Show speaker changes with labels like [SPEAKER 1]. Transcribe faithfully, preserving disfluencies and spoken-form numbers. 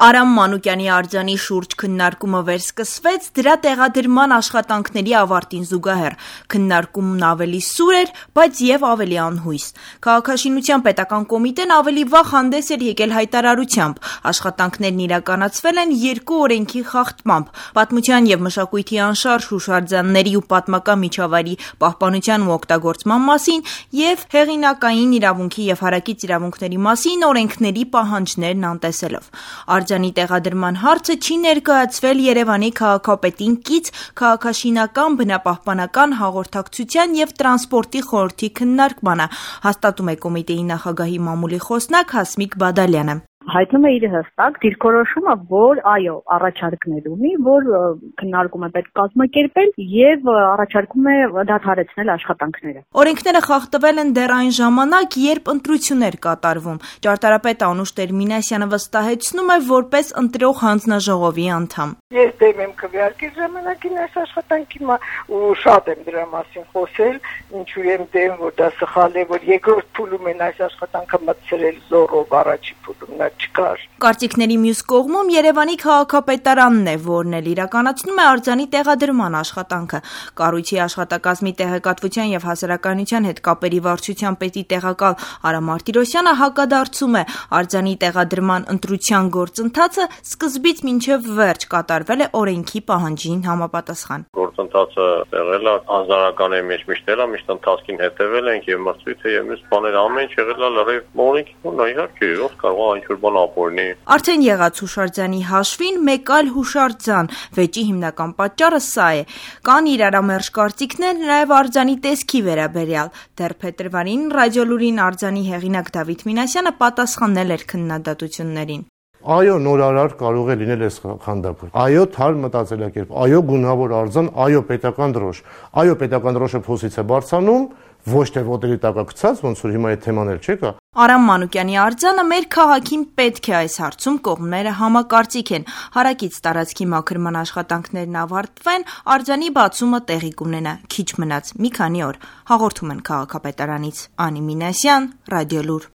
[SPEAKER 1] Արամ Մանուկյանի արձանի շուրջ քննարկումը վերսկսվեց դրա տեղադրման աշխատանքների ավարտին զուգահեռ։ Քննարկումն ավելի սուր էր, բայց եւ ավելի անհույս։ Քաղաքաշինության պետական կոմիտեն ավելի վաղ հանդես էր եկել հայտարարությամբ։ Աշխատանքներն իրականացվել են երկու օրենքի խախտմամբ՝ Պատմության եւ մշակույթի անշարժ հուշարձանների ու պատմական միջավայրի պահպանության ու օգտագործման մասին եւ հեղինակային իրավունքի եւ հարակից իրավունքների մասին օրենքների պահանջներն անտեսելով։ Արձանի տեղադրման հարցը չի ներկայացվել Երևանի քաղաքապետին կից քաղաքաշինական, բնապահպանական, հաղորդակցության եւ տրանսպորտի խորհրդի քննարկմանը, հաստատում է կոմիտեի նախագահի մամուլի խոսնակ Հասմիկ Բադալյանը։
[SPEAKER 2] Հայտնում է իր հստակ դիրքորոշումը, որ այո, առաջարկներ ունի, որ քննարկումը պետք կազմակերպել եւ առաջարկում է դադարեցնել աշխատանքները։
[SPEAKER 1] Օրենքները խախտվել են դեռ այն ժամանակ, երբ ընտրություններ կատարվում։ Ճարտարապետ Անուշ Տեր-Մինասյանը վստահեցնում է որպես ընտրող հանձնաժողովի անդամ։
[SPEAKER 3] Ես դեմ եմ քվեարկի ժամանակին այս աշխատանքին ու շատ եմ դրա մասին խոսել, ինչու եմ դեմ, որ դա սխալ է, որ երկրորդ փուլում են այս աշխատանքը մտցրել զորով, առաջի փուլում նա չկար։
[SPEAKER 1] Կարծիքների մյուս կողմում Երևանի քաղաքապետարանն է, որն էլ իրականացնում է արձանի տեղադրման աշխատանքը։ Կառույցի աշխատակազմի տեղեկատվության եւ հասարակայնության հետ կապերի վարչության պետի տեղակալ Արամ Մարտիրոսյանը հակադարձում է, արձանի տեղադրման ընտրության գործընթացը սկզբից մինչեւ վերջ կատարվել է օրենքի պահանջին համապատասխան։
[SPEAKER 4] Գործընթացը եղել է անձնարականի մեջ միշտ էլ, միշտ ընթացքին հետևել ենք եւ մրցույթը եւ մյուս բաները ամեն ինչ եղել է լրիվ օրենքի նույն իհարկե ով կարող է ինչ-որ բան ապօրինի։
[SPEAKER 1] Արդեն եղած հուշարձանի հաշվին մեկ այլ հուշարձան, վեճի հիմնական պատճառը սա է։ Կան իրարամերժ կարծիքներ նաեւ արձանի տեսքի վերաբերյալ։ Դեռ փետրվարին Ռադիոլուրին արձանի հեղինակ Դավիթ Մինասյանը պատասխանել էր քննադատություններին։
[SPEAKER 5] Այո, նորարար կարող է լինել այս խանդապը։ Այո, թարմ մտածելակերպ, այո, գունավոր արձան, այո, պետական դրոշ։ Այո, պետական դրոշը փոսից է բարձանում, ոչ թե ոտերի տակա գցած, ոնց որ հիմա այդ թեման էլ չկա։
[SPEAKER 1] Արամ Մանուկյանի արձանը մեր քաղաքին պետք է այս հարցում կողմները համակարծիք են։ Հարակից տարածքի մաքրման աշխատանքներն ավարտվեն, արձանի բացումը տեղի կունենա։ Քիչ մնաց մի քանի օր։ Հաղորդում են քաղաքապետարանից Անի Մինասյան, Ռադիոլուր։